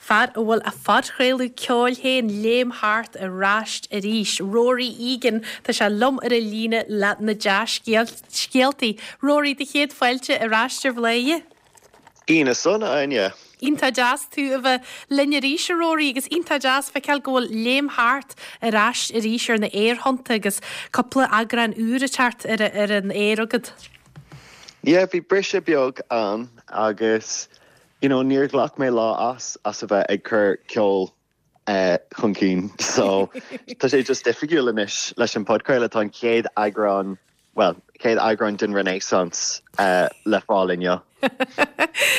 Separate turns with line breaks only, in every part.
Fear a bhfuil a phodchraoladh ceoil féin, Léim Thart, ar ais arís. Rory Egan, tá sé liom ar an líne le na dea-scéaltaí. Rory, do chéad fáilte ar ais ar Bhladhaire.
Oíche shona, Áine.
Iontach deas tú a bheith linn arís, a Rory, agus iontach deas feiceáil go bhfuil Léim Thart ar ais arís ar na aerthonnta agus cúpla eagrán úr ag teacht ar an aer agat.
Yeah, bhí briseadh beag ann agus you know níor ghlac mé lá as as a bheith ag cur ceol chun cinn so tá sé just oifigiúil anois leis an podchraoladh tá an chéad eagrán bhuel chéad eagrán den Renaissance le fáil inniu.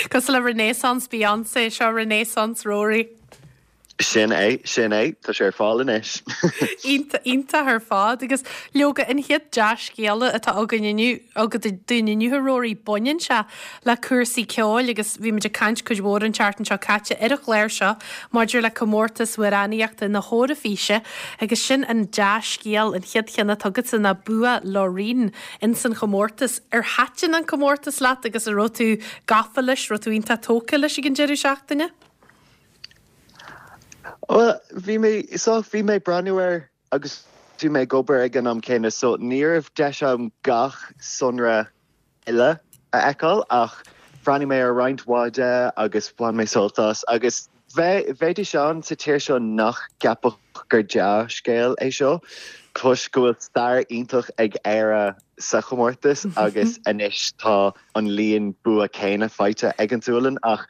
Cosúil le Renaissance Beyonce, seo Renaissance Rory.
Sin é, sin é, tá sé ar fáil anois.
Iontach ar fad. Agus leoga, an chéad dea-scéala atá againn inniu, agat dúinn inniu, a Rory, baineann sé le cúrsaí ceoil agus bhí muid ag caint cuid mhór an tseachtain seo caite ar an chlár seo maidir le comórtas amhránaíochta na hEoraifíse agus sin an dea-scéal, an chéad cheann atá agatsa ná bua Loreen ins an chomórtas. Ar thaitin an comórtas leat agus an raibh tú gafa leis, raibh tú iontach tógtha leis ag an deireadh seachtaine?
Bhuel, bhí mé, so bhí mé ag breathnú air agus bhí mé ag obair ag an am céanna so ní raibh deis agam gach sonra uile a fheiceáil ach bhreathnaigh mé ar roinnt mhaith de agus bhain mé sult as agus bheidís ann sa tír seo nach gceapfadh gur dea-scéal é seo toisc go bhfuil stair iontach ag Éire sa chomórtas agus anois tá an líon bua céanna faighte ag an tSualainn ach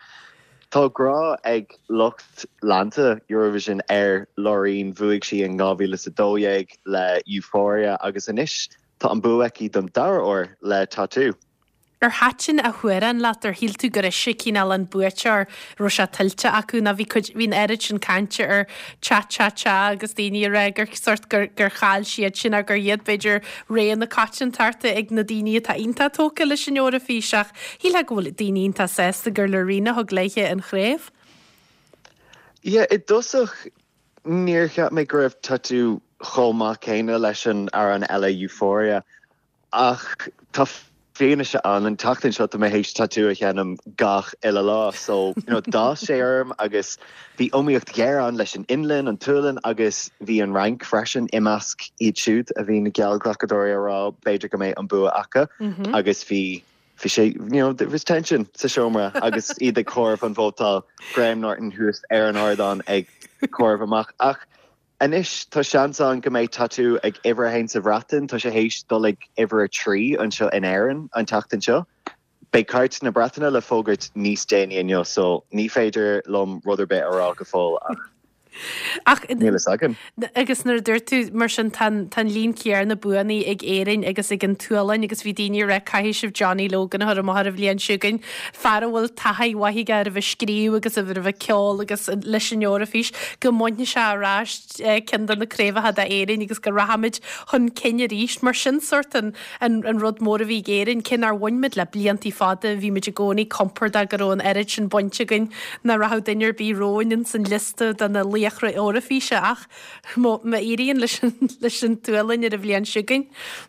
Tá grá ag lucht leanta Eurovision ar Loreen, bhuaigh sí in 2012 le Euphoria agus anois tá an bua aici don dara huair le Tattoo.
Ar thaitin a hamhrán leat? Ar shíl tú gur ise cineál an buaiteoir, raibh sé tuillte acu nó bhí cuid, bhí an oiread sin cainte ar Cha Cha Cha agus daoine ag rá gur sort gur gur chaill siad sin gur iad b'fhéidir rogha na coitiantachta ag na daoine atá iontach tógtha leis an Eoraifís ach shílfeá go bhfuil daoine iontach sásta gur Loreen a thug léithe an chraobh.
Yeah, i dtosach níor cheap mé go raibh Tattoo chomh maith céanna leis an amhrán eile Euphoria Ach tá fianaise ann, an tseachtain seo tá mé théis Tattoo a sheinm gach uile lá so you know d'fhás sé orm agus bhí iomaíocht ghéar ann leis an Fhionlainn, an tSualainn agus bhí an Fhrainc freisin i measc iad siúd a bhí na geallghlacadóirí a rá b'fhéidir go mbeidh an bua acu agus bhí bhí sé you know there was tension sa seomra agus iad ag comhaireamh an vótáil, Graham Norton thuas ar an ardán ag comhaireamh amach ach Anois tá seans ann go mbeidh Tattoo ag uimhir a haon sa Bhreatain, tá sé théis dul ag uimhir a 3 anseo in Éirinn an tseachtain seo. Beidh cairt na Breataine le fógairt níos déanaí inniu so ní féidir liom rud ar bith a rá go fóill ach
Ach
níl fhios againn.
Agus nuair a dúirt tú mar sin tá an tá an líon céanna buanna ag Éirinn agus ag an tSualainn agus bhí daoine ag rá caithfidh sibh Johnny Logan a chur amach ar an bhliain seo chugainn, fear a bhfuil taithí mhaith aige ar a bheith ag scríobh agus ar a bheith ag ceol agus leis an Eoraifís, go mbainfidh sé ar ais ceann de na craobhacha d'Éirinn agus go rachaimid chun cinn arís. Mar sin sórt an an rud mór a bhí ag Éirinn, cé nár bhain muid le bliantaí fada, bhí muid i gcónaí compordach go raibh an oiread sin bainte againn nach rachadh duine ar bith romhainn ins an liosta de na laochra Eoraifíse ach má éiríonn leis leis an tSualainn ar an bhliain seo chugainn,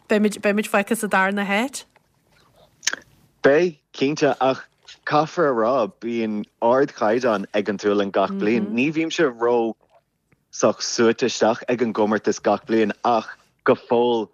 beimid beimid fágtha sa darna háit.
Beidh, cinnte, ach caithfear a rá, bíonn ardchaighdeán ag an tSualainn gach bliain. Ní bhímse ró sách suaite isteach ag an gcomórtas gach bliain ach go fóill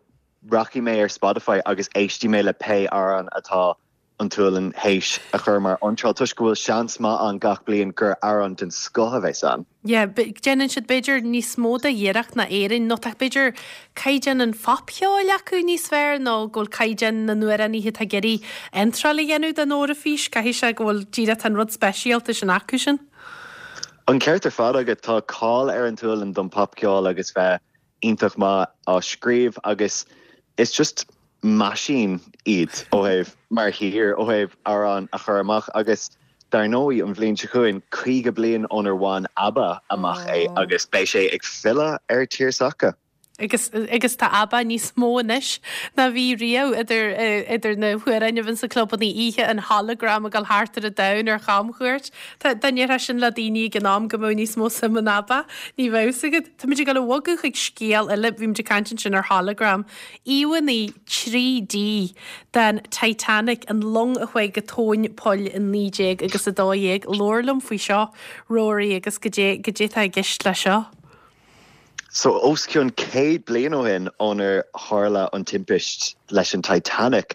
rachaidh mé ar Spotify agus éistfidh mé le pé amhrán atá an tSualainn théis a chur mar iontráil toisc go bhfuil seans maith ann gach bliain gur amhrán den scoth a bheas ann.
Yeah, déanann siad b'fhéidir níos mó de iarracht ná Éirinn nó tá b'fhéidir caighdeán an phopcheoil acu níos fearr nó go bhfuil caighdeán na n-amhránaithe atá ag iarraidh iontráil a dhéanamh don Eoraifís, caithfidh sé go bhfuil díreach tá an rud speisialta sin acu sin.
An ceart ar fad agat, tá cáil ar an tSualainn don popcheol agus bheith iontach maith á scríobh agus is just meaisín iad ó thaobh, mar thír, ó thaobh amhráin a chur amach agus dar ndóigh an bhliain seo chugainn, 50 bliain ónar bhain ABBA amach é agus beidh sé ag filleadh ar tír s'acu.
Agus agus tá ABBA níos mó anois ná bhí riamh idir idir na hamhráin a bhíonn sna clubanna oíche, an hologram ag dul thart ar an domhan ar chamchuairt. Tá dá ndéarfá sin le daoine ag an am go mbeadh níos mó suim in ABBA, ní bheadh 'fhios agat. Táimid ag dul a bhogadh chuig scéal eile, bhí muid ag caint ansin ar hologram. Íomhánna 3D den Titanic, an long a chuaigh go tóin poill in 19 agus 12. Labhair liom faoi seo, Rory, agus goidé goidé atá i gceist le seo.
So, os cionn 100 bliain ó shin ónar tharla an timpist leis an Titanic,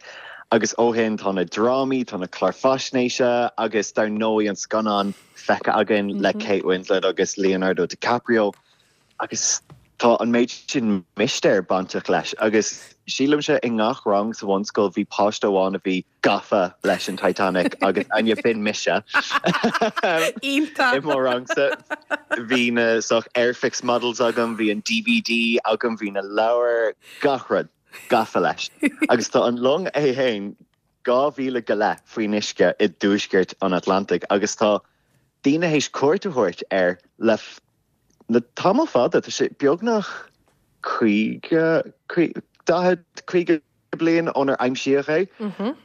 agus ó shin tá na drámaí, tá na cláir faisnéise agus dar ndóigh an scannán feicthe againn le Kate Winslet agus Leonardo DiCaprio agus tá an méid sin mistéir bainteach leis agus sílimse i ngach rang sa bhunscoil bhí páiste amháin a bhí gafa leis an Titanic agus Áine b'in mise.
Iontach!
I mo rangsa bhí na sórt Airfix models agam, bhí an DVD agam, bhí na leabhair, gach rud, gafa leis. Agus tá an long é fhéin 2 mhíle go leith faoin uisce i dtuaisceart an Atlantaigh agus tá daoine théis cuairt a thabhairt air le le tamall fada, tá sé beagnach 50, 40, 50 bliain ónar aimsíodh é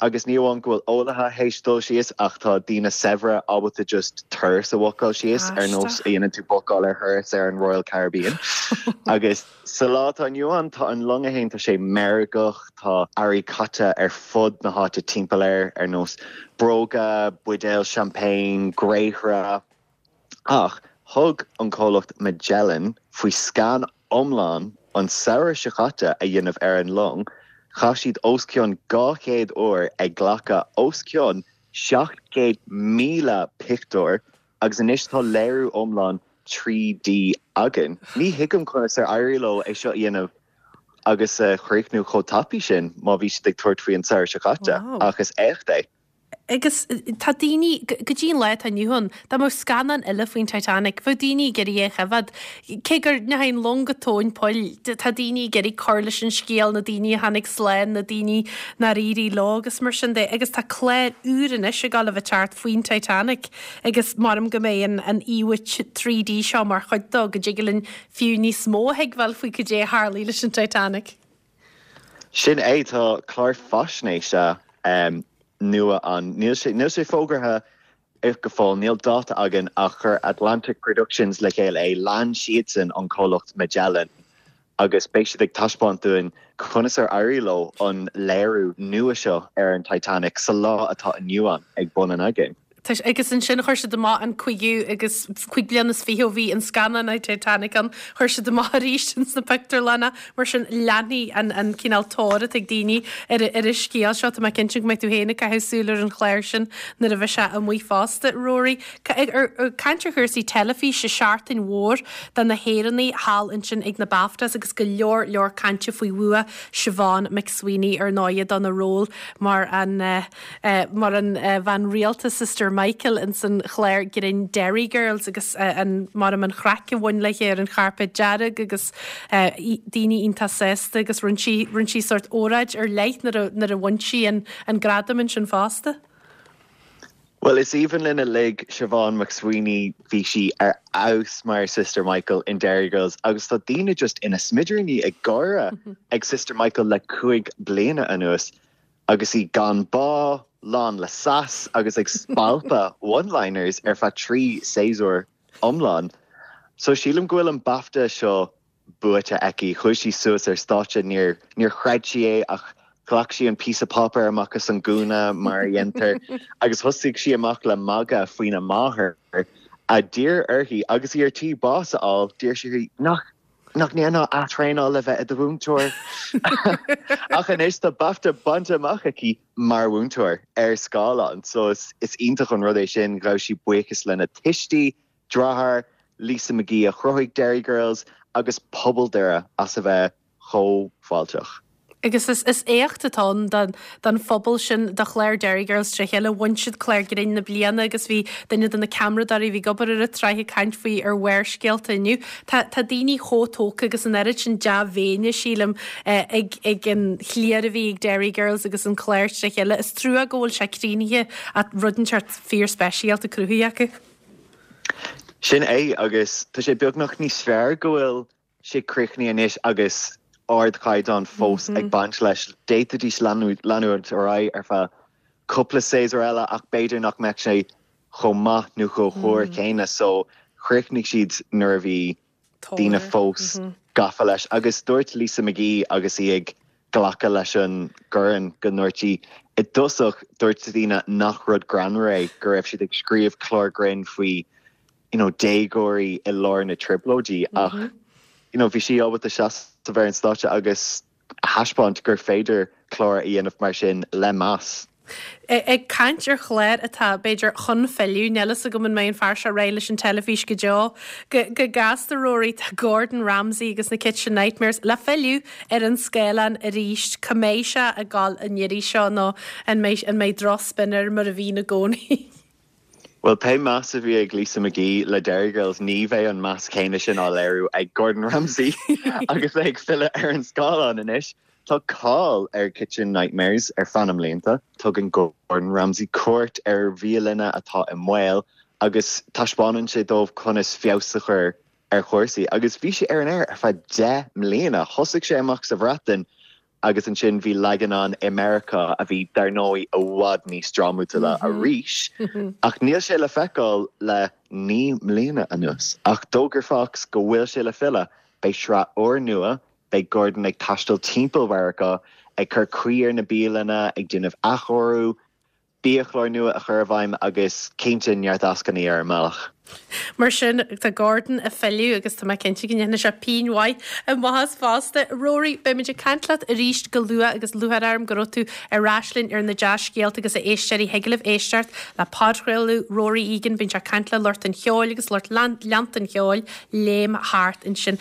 agus ní amháin go bhfuil eolaithe théis dul síos ach tá daoine saibhre ábalta just turas a bhookáil síos ar nós a dhéanann tú bookáil ar thuras ar an Royal Caribbean. Agus sa lá atá inniu ann tá an long é fhéin, tá sé meirgeach, tá earraí caite ar fud na háite timpeall air ar nós bróga, buidéil champagne, gréithre. Ach thug an comhlacht Magellan faoi scan iomlán an samhradh seo caite a dhéanamh ar an long. Chaith siad os cionn 200 uair ag glacadh os cionn 700,000 pictiúr agus anois tá léiriú iomlán 3D againn. Ní thuigim conas ar éirigh leo é seo a dhéanamh agus a chríochnú chomh tapaidh sin má bhí siad ag tabhairt faoi an samhradh seo caite, ach is éacht é.
Agus tá daoine, go dtí an lá atá inniu ann, dá mbeadh scannán eile faoin Titanic, bheadh daoine ag iarraidh é a choimhéad. Cé go ndeachaigh an long go tóin poill, tá daoine ag iarraidh cur leis an scéal, na daoine a tháinig slán, na daoine nár éirigh leo agus mar sin de. Agus tá clár úr anois ag dul a bheith teacht faoin Titanic agus maram go mbeidh an an íomhá 3D seo mar chuid dó, go dtig linn fiú níos mó a thuigbheáil faoi cad é a tharlaigh leis an Titanic.
Sin é, tá clár faisnéise nua ann. Níl sé, níl sé fógartha go fóill, níl dáta againn ach chuir Atlantic Productions le chéile é, lean siadsan an comhlacht Magellan agus beidh siad ag taispeáint dúinn conas ar éirigh leo an léiriú nua seo ar an Titanic sa lá atá inniu ann ag bun an aigéin.
Agus ansin chuir siad amach an cúigiú agus 25 bliain ó bhí an scannán Titanic ann, chuir siad amach arís ins na pictiúrlanna. Mar sin leanfaidh an an cineál tóir atá ag daoine ar ar an scéal seo. Tá mé cinnte go mbeidh tú féin ag caitheamh súil ar an chlár sin nuair a bheidh sé amuigh fosta. Rory, ag caint ar chúrsaí teilifíse, seachtain mhór do na hÉireannaigh thall ansin ag na BAFTAs agus go leor leor cainte faoi bhua Siobhán McSweeney ar ndóighe dona ról mar an mar an bhean rialta Sister Michael ins an chlár grinn Derry Girls agus an maram an chraic a bhain léi ar an chairpéad dearg agus daoine iontach sásta agus rinne sí rinne sí sórt óráid ar leith nuair a nuair a bhain sí an an gradam ansin fosta.
Bhuel is aoibhinn linn uilig Siobhán McSweeney, bhí sí ar fheabhas mar Sister Michael in Derry Girls agus tá daoine just ina smidiríní ag gáire ag Sister Michael le 5 bliana anuas. Agus í gan bá, lán le sass agus ag spalpadh one-liners ar feadh 3 séasúr iomlán. So sílim go bhfuil an BAFTA seo buaite aici. Chuaigh sí suas ar stáitse, níor níor chreid sí é ach ghlac sí an píosa páipéir amach as an gúna mar a dhéantar agus thosaigh sí amach le magadh faoina máthair a d'iarr uirthi agus í ar tí bás a fháil, d'iarr sí uirthi nach Nach ndéanfá athraenáil le bheith i do mhúinteoir? Ach anois tá BAFTA bainte amach aici mar mhúinteoir ar scáileán, so is iontach an rud é sin. Ghabh sí buíochas lena tuistí, deartháir, Lisa McGee a chruthaigh Derry Girls, agus pobal Doire as a bheith chomh fáilteach.
Agus is is éacht atá ann don don phobal sin, do chlár Derry Girls tré chéile. Bhain siad Clár Grinn na Bliana agus bhí duine de na ceamaradóirí a bhí ag obair ar an tsraith ag caint faoi ar Bharrscéalta inniu. Tá tá daoine chomh tógtha agus an oiread sin dea-mhéine, sílim, ag ag an chliar a bhí ag Derry Girls agus an clár tré chéile. Is trua go bhfuil sé críochnaithe ach rud inteacht fíor-speisialta cruthaithe acu.
Sin é agus tá sé beagnach níos fearr go bhfuil. sé críochnaithe anois agus ardchaighdeán fós ag baint leis. D'fhéadfaidís leanúint ar aghaidh ar feadh cúpla séasúr eile ach b'fhéidir nach mbeadh sé chomh maith nó chomh húr céanna so chríochnaigh siad nuair a bhí daoine fós gafa leis. Agus dúirt Lisa McGee agus í ag glacadh leis an gcorn go ndúirt sí i dtosach dúirt daoine nach rud greannmhar é go raibh siad ag scríobh clár grinn faoi you know déagóirí i lár na trioblóidí ach you know bhí sí ábalta seasamh ar an stáitse agus a thaispeáint gur féidir clár a dhéanamh mar sin le meas.
Ag caint ar chlár atá, b'fhéidir, chun filleadh, níl fhios agam an mbeidh an fear seo réidh leis an teilifís go deo. Go gasta, Rory, tá Gordon Ramsay agus na Kitchen Nightmares le filleadh ar an scáileán arís. Cá mbeidh sé ag dul an iarraidh seo nó an mbeidh an mbeidh drochspin air mar a bhíonn i gcónaí?
Bhuel, pé meas a bhí ag Lisa McGee le Derry Girls, ní bheidh an meas céanna sin á léiriú ag Gordon Ramsay agus é ag filleadh ar an scáileán anois. Tá cáil ar Kitchen Nightmares ar feadh na mblianta. Tugann Gordon Ramsay cuairt ar bhialanna atá i mbaol agus taispeánann sé dóibh conas feabhas a chur ar chúrsaí. Agus bhí sé ar an aer ar feadh 10 mbliana. Thosaigh sé amach sa Bhreatain Agus ansin bhí leagan ann i Meiriceá a bhí, dar ndóigh, i bhfad níos drámatúla arís. Ach níl sé le feiceáil le 9 mbliana anuas. Ach d'fhógair Fox go bhfuil sé le filleadh. Beidh sraith úrnua, beidh Gordon ag taisteal timpeall Mheiriceá, ag cur caoi ar na bialanna, ag déanamh athchóiriú, biachlár nua a chur i bhfeidhm agus cinnte neart eascainí ar an mbealach.
Mar sin, tá Gordon ag filleadh agus tá mé cinnte go ndéanfaidh sé pínn mhaith amach as fosta. Rory, beimid ag caint leat arís go luath agus lúcháir orm go raibh tú ar ais linn ar na dea-scéalta agus a éisteoirí thig libh éisteacht le podchraoladh Rory Egan, bíonn sé ag caint le lucht an cheoil agus lucht leanta an cheoil, léim thart ansin.